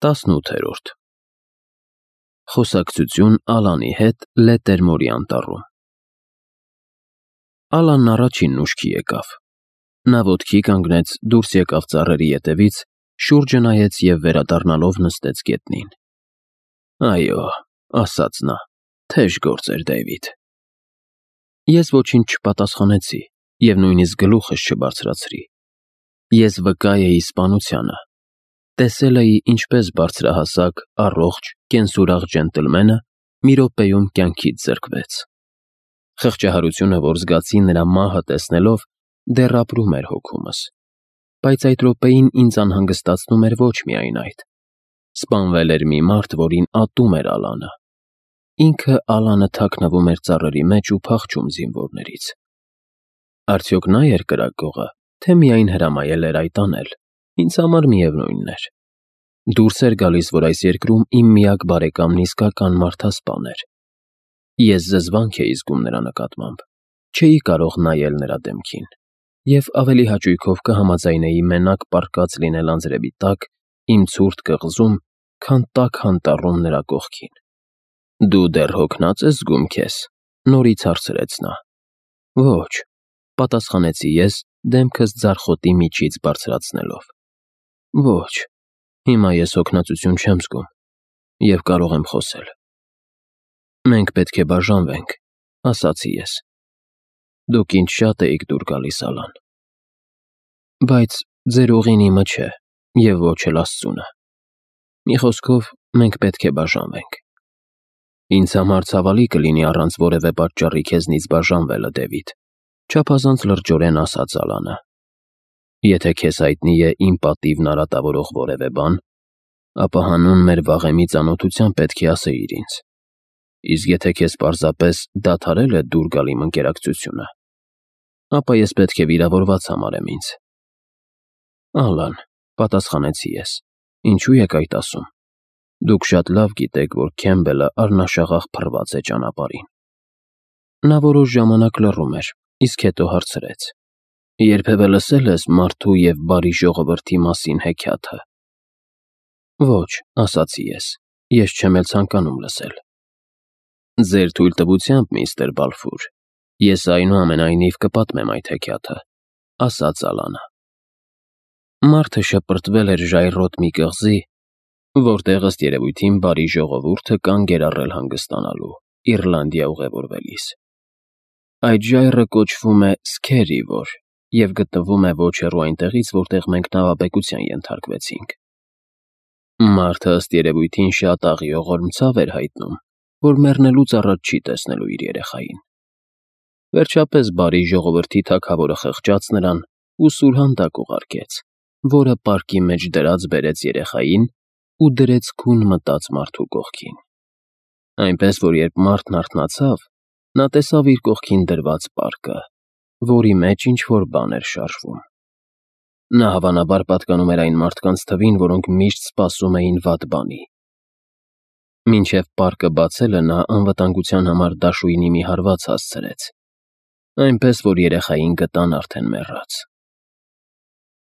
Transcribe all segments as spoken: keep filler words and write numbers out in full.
տասնութերորդ Խոսակցություն Ալանի հետ Լետերմորի անտառում Ալանն առաջինն ուշքի եկավ։ Նա ոտքի կանգնեց, դուրս եկավ ծառերի ետևից, շուրջը նայեց և վերադառնալով նստեց գետնին։ Այո, ասաց նա, թեժ գործ էր, Դեյվիդ։ Ես ոչինչ չպատասխանեցի և նույնիսկ գլուխս չբարձրացրի։ Ես վկա էի սպանությանը։ Տեսել էի, ինչպես բարձրահասակ, առողջ, կենսուրախ ջենտլմենը մի րոպեում կյանքից զրկվեց։ Խղճահարությունը, որ զգացի նրա մահը տեսնելով, դեռ ապրում էր հոգումս, բայց այդ րոպեին ինձ անհանգստացնում էր ոչ միայն այդ. սպանվել էր մի մարդ, որին ատում էր Ալանը։ Ինքը Ալանը թաքնվում էր ծառերի մեջ ու փախչում զինվորներից։ Արդյոք նա էր կրակողը, թե միայն հրամայել էր այդ անել, ինձ համար միևնույնն էր։ Դուրս էր գալիս, որ այս երկրում իմ միակ բարեկամն իսկական մարդասպան էր։ Ես զզվանք էի զգում նրա նկատմամբ, չէի կարող նայել նրա դեմքին, և ավելի հաճույքով կհամաձայնեի մենակ պառկած լինել անձրևի տակ, իմ ցուրտ կղզում, քան տաք անտառում նրա կողքին։ Դու դեռ հոգնած ես զգում քեզ, նորից հարցրեց նա։ Ոչ, պատասխանեցի ես, դեմքս ձարխոտի միջից բարձրացնելով։ Ոչ, հիմա ես հոգնածություն չեմ զգում և կարող եմ խոսել։ Մենք պետք է բաժանվենք, ասացի ես։ Դուք ինձ շատ էիք դուր գալիս, Ալան։ Բայց ձեր ուղին իմը չէ և ոչ էլ Աստծունը։ Մի խոսքով, մենք պետք է բաժանվենք։ Ինձ համար ցավալի կլինի առանց որևէ պատճառի քեզնից բաժանվելը, Դեվիդ, չափազանց լրջորեն ասաց Ալանը։ Եթե քեզ հայտնի է իմ պատիվն արատավորող որևէ բան, ապա հանուն մեր վաղեմի ծանոթության պետք է ասեիր ինձ։ Իսկ եթե քեզ պարզապես դադարել է դուր գալ իմ ընկերակցությունը, ապա ես պետք է վիրավորված համարեմ ինձ։ Ալան, պատասխանեցի ես, ինչու եք այդ ասում։ Դուք շատ լավ գիտեք, որ Քեմբելը առնաշաղախ փռված է ճանապարհին։ Նա որոշ ժամանակ լռում էր, իսկ հետո հարցրեց. Երբևէ լսել ես մարդու և բարի ժողովրդի մասին հեքիաթը։ Ոչ, ասացի ես, ես չեմ էլ ցանկանում լսել։ Ձեր թույլտվությամբ, միստր Բալֆուր, ես այնուամենայնիվ կպատմեմ այդ հեքիաթը, ասաց Ալանը։ Մարդը շպրտվել էր ժայռոտ մի կղզի, որտեղ ըստ երևույթին բարի ժողովուրդը կանգ էր առել հանգստանալու, Իռլանդիա ուղևորվելիս։ Այդ ժայռը կոչվում է Սքերիվոր և գտնվում է ոչ հեռու այնտեղից, որտեղ մենք նավաբեկության ենթարկվեցինք։ Մարդը ըստ երևույթին շատ աղիողորմ ցավ էր հայտնում, որ մեռնելուց առաջ չի տեսնելու իր երեխային։ Վերջապես բարի ժողովրդի թագավորը խղճաց նրան ու սուրհանդակ ուղարկեց, որը պարկի մեջ դրած բերեց երեխային ու դրեց քուն մտած մարդու կողքին։ Այնպես որ երբ մարդն արթնացավ, նա տեսավ իր կողքին դրված պարկը, որի մեջ ինչ-որ բան էր շարժվում։ Նա հավանաբար պատկանում էր այն մարդկանց թվին, որոնք միշտ սպասում էին վատ բանի։ Մինչև պարկը բացելը նա անվտանգության համար դաշույնի մի հարված հասցրեց, այնպես որ երեխային գտան արդեն մեռած։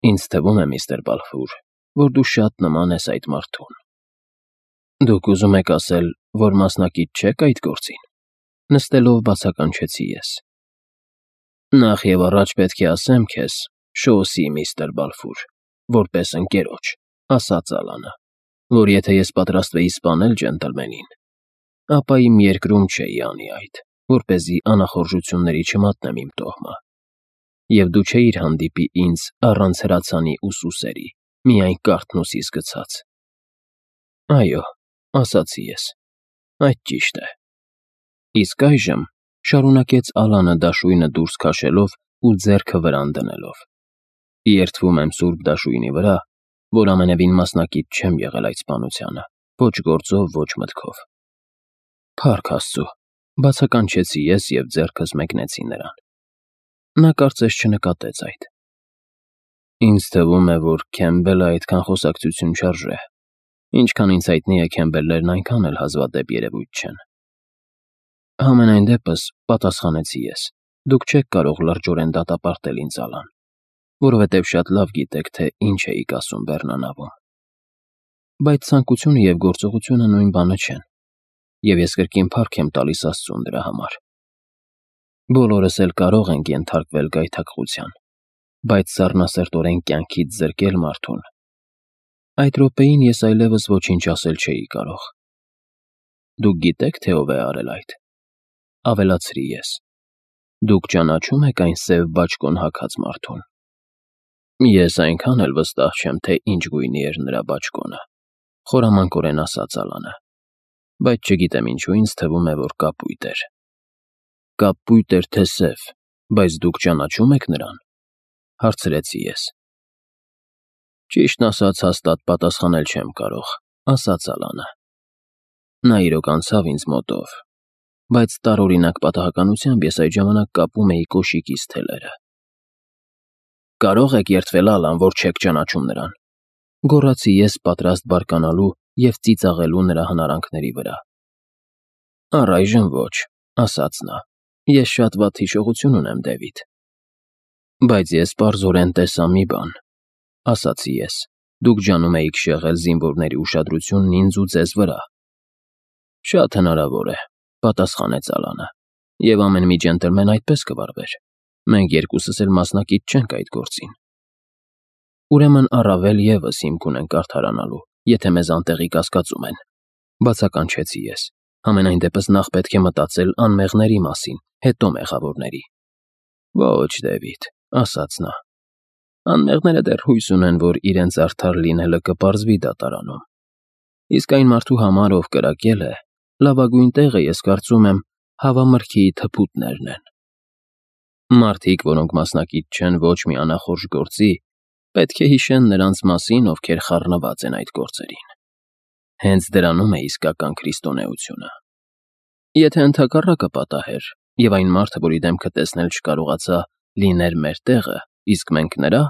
Ինձ թվում է, միստր Բալֆուր, որ դու շատ նման ես այդ մարդուն։ Դուք ուզում եք ասել, որ մասնակից չեք այդ գործին, նստելով բացականչեցի ես։ Նախ և առաջ պետք է ասեմ քեզ, Շոուսի միստր Բալֆուր, որպես ընկերոջ, ասաց Ալանը, որ եթե ես պատրաստվեի սպանել ջենտլմենին, ապա իմ երկրում չէի անի այդ, որպեսզի անախորժությունների չմատնեմ իմ տոհմը, և դու չէիր հանդիպի ինձ առանց հրացանի ու սուսերի, միայն կարթնոսիս գցած։ Այո, ասացի ես, այդ ճիշտ է։ Իսկ այժմ, շարունակեց Ալանը դաշույնը դուրս քաշելով ու ձեռքը վրան դնելով, երդվում եմ սուրբ դաշույնի վրա, որ ամենևին մասնակից չեմ եղել այդ սպանությանը, ոչ գործով, ոչ մտքով։ Փառք Աստծո, բացականչեցի ես և ձեռքս մեկնեցի նրան։ Նա կարծես չնկատեց այդ։ Ինձ թվում է, որ Քեմբելը այդքան խոսակցություն չարժե, ինչքան ինձ հայտնի է, Քեմբելներն այնքան էլ հազվադեպ երևույթ չեն։ Համենայն դեպս, պատասխանեցի ես, դուք չեք կարող լրջորեն դատապարտել ինձ, Ալան, որովհետև շատ լավ գիտեք, թե ինչ էիք ասում բեռնանավում։ Բայց ցանկությունը և գործողությունը նույն բանը չեն, և ես կրկին փառք եմ տալիս Աստծուն դրա համար։ Բոլորս էլ կարող ենք ենթարկվել գայթակղության, բայց սառնասրտորեն կյանքից զրկել մարդուն։ Այդ րոպեին ես այլևս ոչինչ ասել չէի կարող։ Դուք գիտե՞ք, թե ով է արել այդ, ավելացրի ես։ Դուք ճանաչո՞ւմ եք այն սև բաճկոն հագած մարդուն։ Ես այնքան էլ վստահ չեմ, թե ինչ գույնի էր նրա բաճկոնը, խորամանկորեն ասաց Ալանը, բայց չգիտեմ ինչու ինձ թվում է, որ կապույտ էր։ Կապույտ էր, թե սև, բայց դուք ճանաչո՞ւմ եք նրան, հարցրեցի ես։ Ճիշտն ասած, հաստատ պատասխանել չեմ կարող, ասաց Ալանը։ Նա իրոք անցավ ինձ մոտով, բայց տարօրինակ պատահականությամբ ես այդ ժամանակ կապում էի կոշիկիս թելերը։ Կարող եք երդվել, Ալան, որ չեք ճանաչում նրան, գոռացի ես, պատրաստ բարկանալու և ծիծաղելու նրա հնարանքների վրա։ Առայժմ ոչ, ասաց նա, ես շատ վատ հիշողություն ունեմ, Դեվիդ։ Բայց ես պարզորեն տեսա մի բան, ասացի ես, դուք ջանում էիք շեղել զինվորների ուշադրությունն ինձ ու ձեզ վրա։ Շատ հնարավոր է, պատասխանեց Ալանը, և ամեն մի ջենտլմեն այդպես կվարվեր։ Մենք երկուսս էլ մասնակից չենք այդ գործին։ Ուրեմն առավել ևս հիմք ունենք արդարանալու, եթե մեզ անտեղի կասկածում են, բացականչեցի ես։ Համենայն դեպս նախ պետք է մտածել անմեղների մասին, հետո մեղավորների։ Ոչ, Դեվիդ, ասաց նա։ Անմեղները դեռ հույս ունեն, որ իրենց արդար լինելը կպարզվի դատարանում։ Իսկ այն մարդու համար, ով կրակել է, լավագույն տեղը, ես կարծում եմ, հավամրգի թփուտներն են։ Մարդիկ, որոնք մասնակից չեն ոչ մի անախորժ գործի, պետք է հիշեն նրանց մասին, ովքեր խառնված են այդ գործերին։ Հենց դրանում է իսկական քրիստոնեությունը։ Եթե ընդհակառակը պատահեր, և այն մարդը, որի դեմքը տեսնել չկարողացա, լիներ մեր տեղը, իսկ մենք նրա,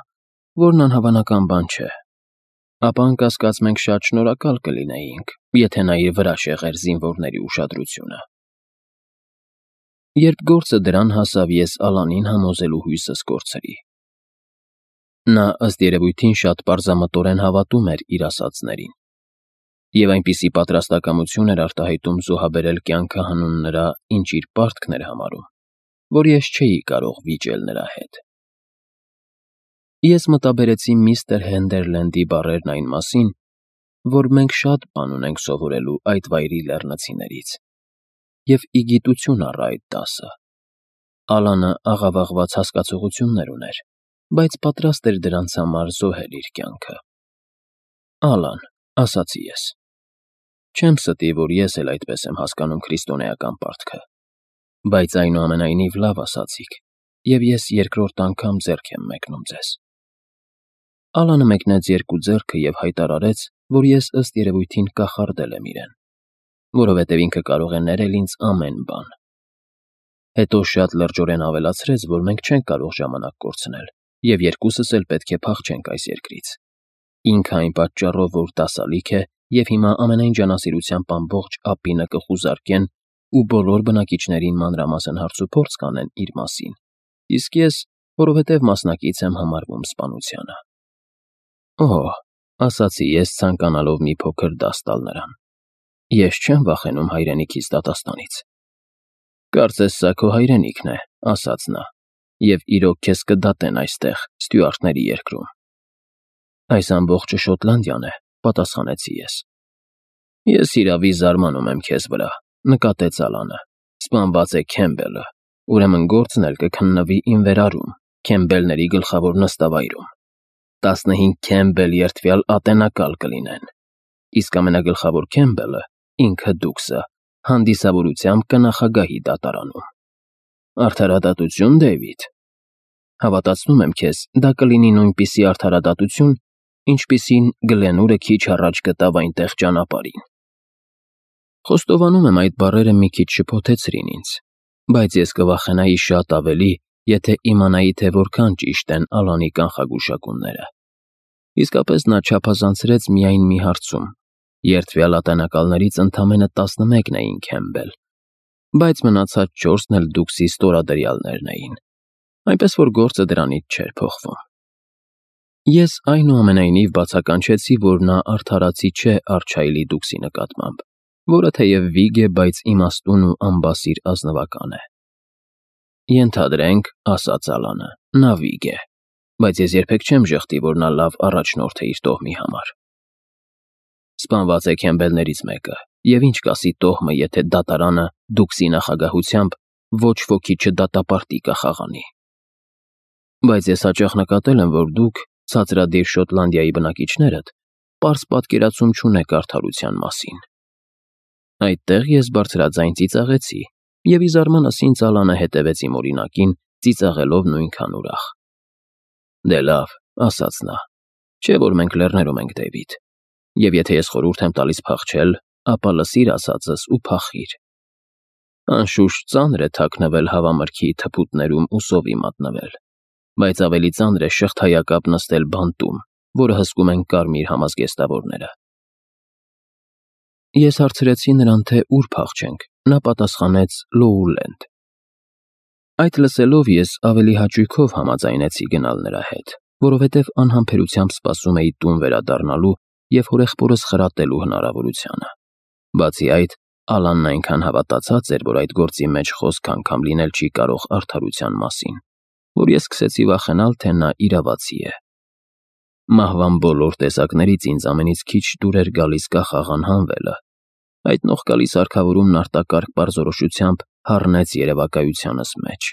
որն անհավանական բան չէ, ապա անկասկած մենք շատ շնորհակալ կլինեինք, եթե նա իր վրա շեղեր զինվորների ուշադրությունը։ Երբ գործը դրան հասավ, ես Ալանին համոզելու հույսս կորցրի։ Նա ըստ երևույթին շատ պարզամտորեն հավատում էր իր ասածներին, և այնպիսի պատրաստակամություն էր արտահայտում զոհաբերել կյանքը հանուն նրա, ինչ իր պարտքն էր համարում, որ ես չէի կարող վիճել նրա հետ։ Ես մտաբերեցի միստր Հենդերլենդի բառերն այն մասին, որ մենք շատ բան ունենք սովորելու այդ վայրի լեռնցիներից, և ի գիտություն առա այդ դասը։ Ալանը աղավաղված հասկացություններ ուներ, բայց պատրաստ էր դրանց համար զոհել իր կյանքը։ Ալան, ասացի ես, չեմ ստի, որ ես էլ այդպես եմ հասկանում քրիստոնեական պարտքը, բայց այնուամենայնիվ լավ ասացիք, և ես երկրորդ անգամ ձեռք եմ մեկնում ձեզ։ Ալանը մեկնեց երկու ձեռքը և հայտարարեց, որ ես ըստ երևույթին կախարդել եմ իրեն, որովհետև ինքը կարող է ներել ինձ ամեն բան։ Հետո շատ լրջորեն ավելացրեց, որ մենք չենք կարող ժամանակ կորցնել, և երկուսս էլ պետք է փախչենք այս երկրից։ Ինքը այն պատճառով, որ դասալիկ է, և հիմա ամենայն ջանասիրությամբ ամբողջ ափինը կխուզարկեն ու բոլոր բնակիչներին մանրամասն հարցուփորձ կանեն իր մասին, իսկ ես, որովհետև մասնակից եմ համարվում սպանությանը։ Օհ, ասացի ես, ցանկանալով մի փոքր դաս տալ նրան, ես չեմ վախենում հայրենիքիս դատաստանից։ Կարծես սա քո հայրենիքն է, ասաց նա, և իրոք քեզ կդատեն այստեղ, Ստյուարտների երկրում։ Այս ամբողջը Շոտլանդիան է, պատասխանեցի ես։ Ես հիրավի զարմանում եմ քեզ վրա, նկատեց Ալանը, սպանված է Քեմբելը, ուրեմն գործն էլ կքննվի իմ վերարում, Քեմբելների գլխավոր նստավայրում։ Տասնհինգ Քեմբել երդվյալ ատենակալ կլինեն, իսկ ամենագլխավոր Քեմբելը, ինքը դուքսը, հանդիսավորությամբ կնախագահի դատարանում։ Արդարադատություն, Դեյվիդ։ Հավատացնում եմ քեզ, դա կլինի նույնպիսի արդարադատություն, ինչպիսին Գլենուրը քիչ առաջ գտավ այնտեղ ճանապարհին։ Խոստովանում եմ, այդ բառերը մի քիչ շփոթեցրին ինձ, բայց ես կվախենայի շատ ավելի, եթե իմանայի, թե որքան ճիշտ են Ալանի կանխագուշակումները։ Իսկապես նա չափազանցրեց միայն մի հարցում. երդվյալ ատենակալներից ընդամենը տասնմեկն էին Քեմբել, բայց մնացած չորսն էլ դուքսի ստորադրյալներն էին, այնպես որ գործը դրանից չէր փոխվում։ Ես այնուամենայնիվ բացականչեցի, որ նա արդարացի չէ Արչայլի դուքսի նկատմամբ, որը թեև վիգ է, բայց իմաստուն ու անբասիր ազնվական է։ Ենթադրենք, ասաց Ալանը, նա վիգ է, բայց ես երբեք չեմ ժխտի, որ նա լավ առաջնորդ է իր տոհմի համար։ Սպանված է քեմբելներից մեկը, և ինչ կասի տոհմը, եթե դատարանը դուքսի նախագահությամբ ոչ ոքի չդատապարտի կախաղանի։ Բայց ես հաճախ նկատել եմ, որ դուք, ցածրադիր Շոտլանդիայի բնակիչներդ, պարզ պատկերացում չունեք արդարության մասին։ Այդտեղ ես բարձրաձայն ծիծաղեցի, և ի զարմանս ինձ Ալանը հետևեց իմ օրինակին, ծիծաղելով նույնքան ուրախ։ Դե լավ, ասաց նա, չէ՞ որ մենք լեռներում ենք, Դեյվիդ, և եթե ես խորհուրդ եմ տալիս փախչել, ապա լսիր ասածս ու փախիր։ Անշուշտ ծանր է թաքնվել հավամրգի թփուտներում ու սովի մատնվել, բայց ավելի ծանր է շղթայակապ նստել բանտում, որը հսկում են կարմիր համազգեստավորները։ Ես հարցրեցի նրան, թե ուր փախչենք, նա պատասխանեց Լոուլենդ։ Այդ լսելով ես ավելի հաճույքով համաձայնեցի գնալ նրա հետ, որովհետև անհամբերությամբ սպասում էի տուն վերադառնալու և հորեղբորս խրատելու հնարավորությանը։ Բացի այդ, Ալանն այնքան հավատացած էր, որ այդ գործի մեջ խոսք անգամ լինել չի կարող արդարության մասին, որ ես սկսեցի վախենալ, թե նա իրավացի է։ Մահվան բոլոր տեսակներից ինձ ամենից քիչ դուր էր գալիս կախաղան հանվելը։ Այդ նողկալի սարքավորումն արտակարգ պարզորոշությամբ հառնեց երևակայությանս մեջ։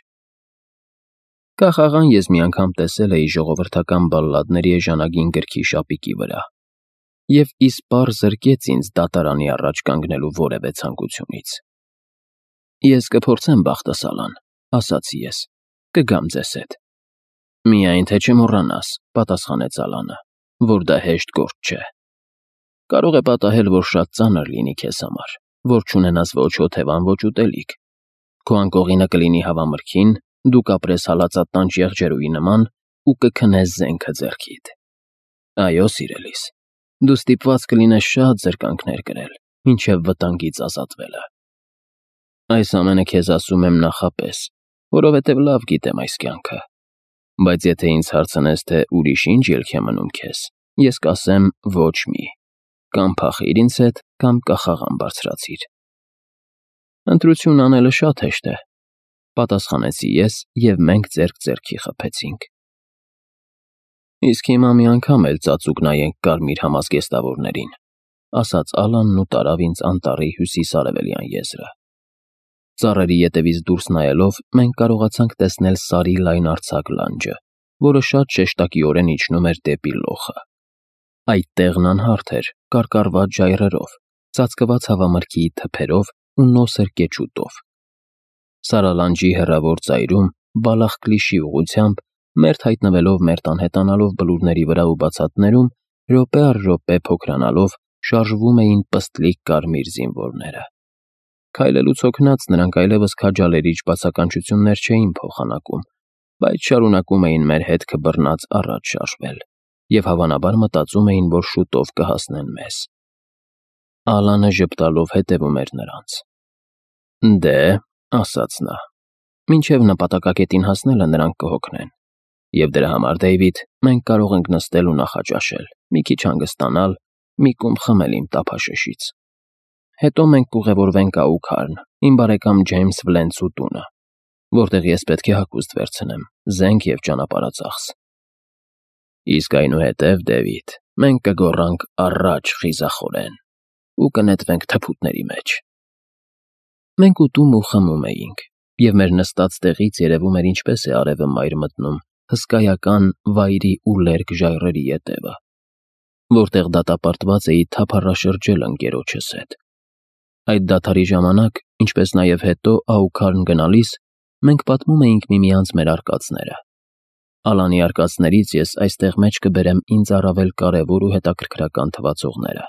Կախաղան ես մի անգամ տեսել էի ժողովրդական բալլադների էժանագին գրքի շապիկի վրա, և իսպառ զրկեց ինձ դատարանի առաջ կանգնելու որևէ ցանկությունից։ Ես կփորձեմ բախտս, Ալան, ասացի ես, կգամ ձեզ հետ։ Միայն թե չմոռանաս, պատասխանեց Ալանը, որ դա հեշտ գործ չէ։ Կարող է պատահել, որ շատ ծանր լինի քեզ համար, որ չունենաս ոչ օթևան, ոչ ուտելիք։ Քո անկողինը կլինի հավամրգին, դու կապրես հալածատանջ եղջերուի նման ու կքնես զենքը ձեռքիդ։ Այո, սիրելիս, դու ստիպված կլինես շատ զրկանքներ կրել, մինչև վտանգից ազատվելը։ Այս ամենը քեզ ասում եմ նախապես, որովհետև լավ գիտեմ այս կյանքը։ Բայց եթե ինձ հարցնես, թե ուրիշ ինչ ելք է մնում քեզ, ես կասեմ ոչ մի, կամ փախիր ինձ հետ, կամ կախաղան բարձրացիր։ Ընտրություն անելը շատ հեշտ է, պատասխանեցի ես, և մենք ձեռք ձեռքի խփեցինք։ Իսկ հիմա մի անգամ էլ ծածուկ նայենք կարմիր համազգեստավորներին, ասաց Ալանն ու տարավ ինձ անտառի հյուսիս-արևելյան եզրը։ Ծառերի ետևից դուրս նայելով մենք կարողացանք տեսնել Սարի լայնարձակ լանջը, որը շատ շեշտակիորեն իջնում էր դեպի լոխը։ Այդ տեղն անհարթ էր, կարկառված ժայռերով, ծածկված հավամրգի թփերով ու նոսր կեչուտով։ Սարալանջի հեռավոր ծայրում, Բալախկլիշի ուղղությամբ, մերթ հայտնվելով մերթ անհետանալով բլուրների վրա ու բացատներում, րոպե առ րոպե փոքրանալով, շարժվում էին պստլիկ կարմիր զինվորները։ Քայլելուց հոգնած նրանք այլևս քաջալերիչ բացականչություններ չէին փոխանակում, բայց շարունակում էին մեր հետքը բռնած առաջ շարժվել, և հավանաբար մտածում էին, որ շուտով կհասնեն մեզ։ Ալանը ժպտալով հետևում էր նրանց։ Դե, ասաց նա, մինչև նպատակակետին հասնելը նրանք կհոգնեն, և դրա համար, Դեյվիդ, մենք կարող ենք նստել ու նախաճաշել, մի քիչ հանգստանալ, մի կում խմել իմ տափաշշից։ Հետո մենք կուղևորվենք Աուքարն, իմ բարեկամ Ջեյմս Վլենցու տունը, որտեղ ես պետք է հագուստ վերցնեմ, զենք և ճանապարհածախս։ Իսկ այնուհետև, Դեվիդ, մենք կգոռանք առաջ խիզախորեն ու կնետվենք թփուտների մեջ։ Մենք ուտում ու խմում էինք, և մեր նստած տեղից երևում էր ինչպես է արևը մայր մտնում հսկայական վայրի ու լերկ ժայռերի ետևը, որտեղ դատապարտված էի թափառաշրջել ընկերոջս հետ։ Այդ դադարի ժամանակ, ինչպես նաև հետո Աուքարն գնալիս, մենք պատմում էինք միմյանց մեր արկածները։ Ալանի արկածներից ես այստեղ մեջ կբերեմ ինձ առավել կարևոր ու հետաքրքրական թվացողները։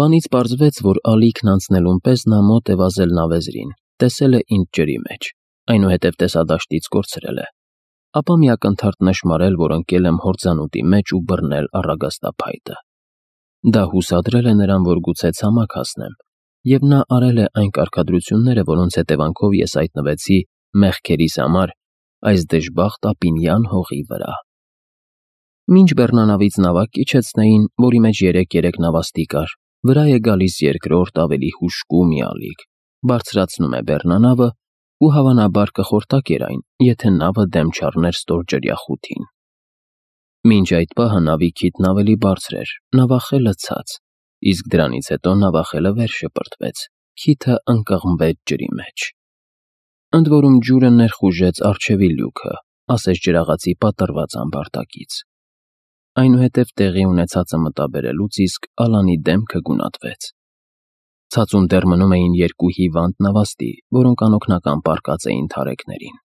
Բանից պարզվեց, որ ալիքն անցնելուն պես նա մոտ է վազել նավեզրին, տեսել է ինձ ջրի մեջ, այնուհետև տեսադաշտից կորցրել է, ապա մի ակնթարթ նշմարել, որ ընկել եմ հորձանուտի մեջ ու բռնել առագաստափայտը։ Դա հուսադրել է նրան, որ գուցե ցամաք հասնեմ, և նա արել է այն կարգադրությունները, որոնց հետևանքով ես հայտնվեցի մեղքերիս համար այս դժբախտ ապինյան հողի վրա։ Մինչ բեռնանավից նավակ իջեցնեին, որի մեջ երեք-երեք նավաստի կար, վրա է գալիս երկրորդ ավելի հուժկու մի ալիք, բարձրացնում է բեռնանավը ու հավանաբար կխորտակեր այն, եթե նավը դեմ չառներ ստորջրյա խութին։ Մինչ այդ պահը նավի քիթն ավելի բարձր էր, նավախելը ցած, իսկ դրանից հետո նավախելը վեր շպրտվեց, քիթը ընկղմվեց ջրի մեջ։ Ընդ որում ջուրը ներխուժեց առջևի լյուքը, ասես ջրաղացի պատռված ամբարտակից։ Այնուհետև տեղի ունեցածը մտաբերելուց իսկ Ալանի դեմքը գունատվեց։ Ցածում դեռ մնում էին երկու հիվանդ նավաստի, որոնք անօգնական պառկած էին թարեքներին։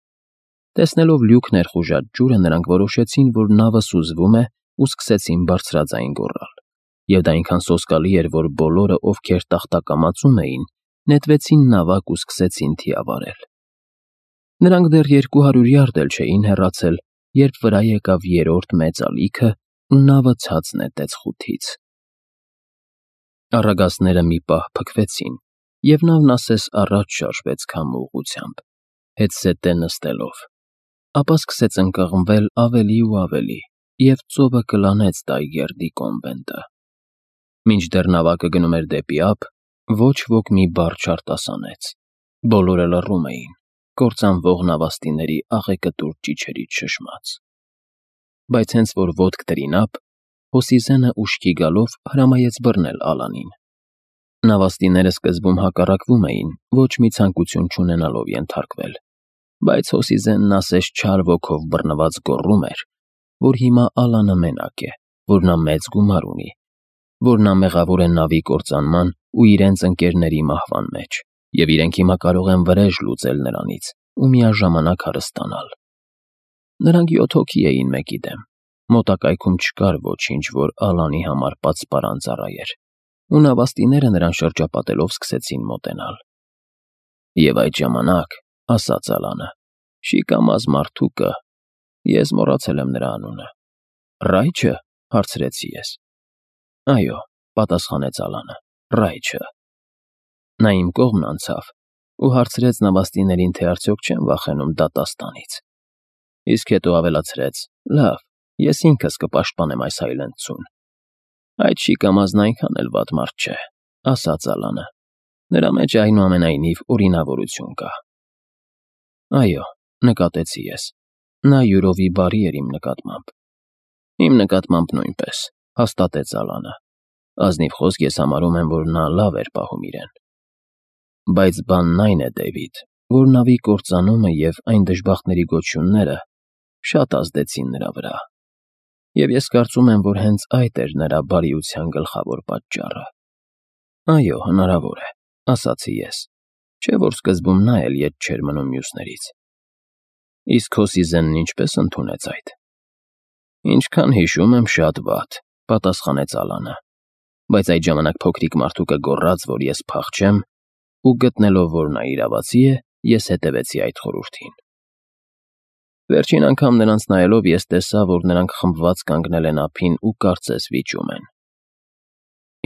Տեսնելով լյուք ներխուժած ջուրը, նրանք որոշեցին, որ նավը սուզվում է ու սկսեցին բարձրաձայն գոռալ։ Եվ դա այնքան սոսկալի էր, որ բոլորը, ովքեր տախտակամածում էին, նետվեցին նավակ ու սկսեցին թիավարել։ Նրանք դեռ երկու հարյուր յարդ էլ չէին հեռացել, երբ վրա եկավ երրորդ մեծ ալիքը ու նավը ցած նետեց խութից։ Առագաստները մի պահ փքվեցին, և նավն ասես առաջ շարժվեց քամու ուղղությամբ, հետզհետե նստելով, ապա սկսեց ընկղմվել ավելի ու ավելի, և ծովը կլանեց Տայգերդի կոնվենտը։ Մինչդեռ նավակը գնում էր դեպի ափ, ոչ ոք մի բառ չարտասանեց։ Բոլորը լռում էին, կործանվող նավաստիների աղեկտուր ճիչերից շշմած։ Բայց հենց որ ոտք դրին ափ, Հոսիզենը ուշքի գալով հրամայեց բռնել Ալանին։ Նավաստիները սկզբում հակառակվում էին, ոչ մի ցանկություն չունենալով ենթարկվել, բայց Հոսիզենն ասես չար ոգով բռնված գոռում էր, որ հիմա Ալանը մենակ է, որ նա մեծ գումար ունի, որ նա մեղավոր է նավի կործանման ու իրենց ընկերների մահվան մեջ, և իրենք հիմա կարող են վրեժ լուծել նրանից ու միաժամանակ հարստանալ։ Նրանք յոթ հոգի էին մեկի դեմ, մոտակայքում չկար ոչինչ, որ Ալանի համար պատսպարան ծառայեր, ու նավաստիները նրան շրջապատելով սկսեցին մոտենալ։ Եվ այդ ժամանակ, ասաց Ալանը, շիկամազ մարդուկը, ես մոռացել եմ նրա անունը, Ռայչը, հարցրեցի ես։ Այո, պատասխանեց Ալանը, Ռայչը։ Նա իմ կողմն անցավ ու հարցրեց նավաստիներին, թե արդյոք չեն վախենում դատաստանից, իսկ հետո ավելացրեց. լավ, ես ինքս կպաշտպանեմ այս հայլենցուն։ Այդ շիկամազն այնքան էլ վատ մարդ չէ, ասաց Ալանը, նրա մեջ այնուամենայնիվ օրինավորություն կա։ Այո, նկատեցի ես, նա յուրովի բարի էր իմ նկատմամբ։ Իմ նկատմամբ նույնպես, հաստատեց Ալանը, ազնիվ խոսք ես համարում եմ, որ նա լավ էր պահում իրեն։ Բայց բանն այն է, Դեյվիդ, որ նավի կործանումը և այն դժբախտների գոչյունները շատ ազդեցին նրա վրա, և ես կարծում եմ, որ հենց այդ էր նրա բարիության գլխավոր պատճառը։ Այո, հնարավոր է, ասացի ես, չէ՞ որ սկզբում նա էլ ետ չէր մնում մյուսներից։ Իսկ Հոսիզենն ինչպես ընդունեց այդ։ Ինչքան հիշում եմ, շատ վատ, պատասխանեց Ալանը, բայց այդ ժամանակ փոքրիկ մարդուկը գոռաց, որ ես փախչեմ, ու գտնելով, որ նա իրավացի է, ես հետևեցի այդ խորհրդին։ Վերջին անգամ նրանց նայելով ես տեսա, որ նրանք խմբված կանգնել են ափին ու կարծես վիճում են։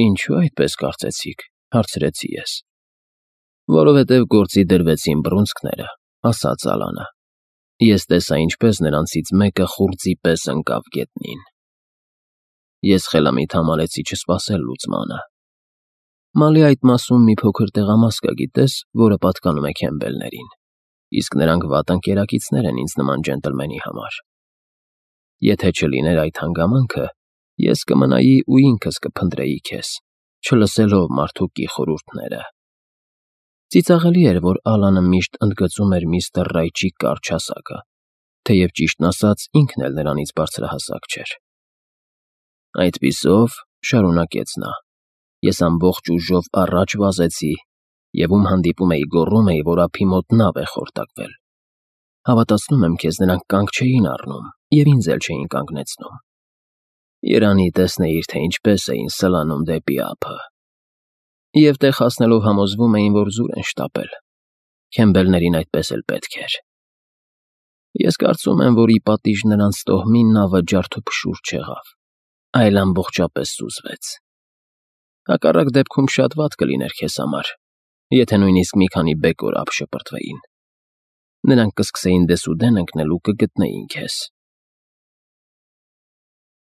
Ինչու այդպես կարծեցիք, հարցրեցի ես։ Որովհետև գործի դրվեցին բռունցքները, ասաց Ալանը։ Ես տեսա, ինչպես նրանցից մեկը խուրձի պես ընկավ գետնին։ Ես խելամիտ համարեցի չսպասել լուծմանը։ Մալի այդ մասում մի փոքր տեղամաս կա, գիտես, որը պատկանում է Քեմբելներին, իսկ նրանք վատ ընկերակիցներ են ինձ նման ջենտլմենի համար։ Եթե չլիներ այդ հանգամանքը, ես կմնայի ու ինքս կփնտրեի քեզ, չլսելով մարդուկի խորհուրդները։ Ծիծաղելի էր, որ Ալանը միշտ ընդգծում էր միստր Ռայչի կարճ հասակը, թեև ճիշտն ասած ինքն էլ նրանից բարձրահասակ չէր։ Այդպիսով, շարունակեց նա, ես ամբողջ ուժով առաջ վազեցի և ում հանդիպում էի գոռում էի, որ ափի մոտ նավ է խորտակվել։ Հավատացնում եմ քեզ, նրանք կանգ չէին առնում և ինձ էլ չէին կանգնեցնում։ Երանի տեսնեիր, թե ինչպես էին սլանում դեպի ափը։ Եվ տեղ հասնելով համոզվում էին, որ զուր են շտապել։ Քեմբելներին այդպես էլ պետք էր։ Ես կարծում եմ, որ ի պատիժ նրանց տոհմի նավը ջարդուփշուր չեղավ, այլ ամբողջապես սուզվեց։ Հակառակ դեպքում շատ վատ կլիներ քեզ համար, եթե նույնիսկ մի քանի բեկոր ափ շպրտվեին։ Նրանք կսկսեին դեսուդեն ընկնել ու կգտնեին քեզ։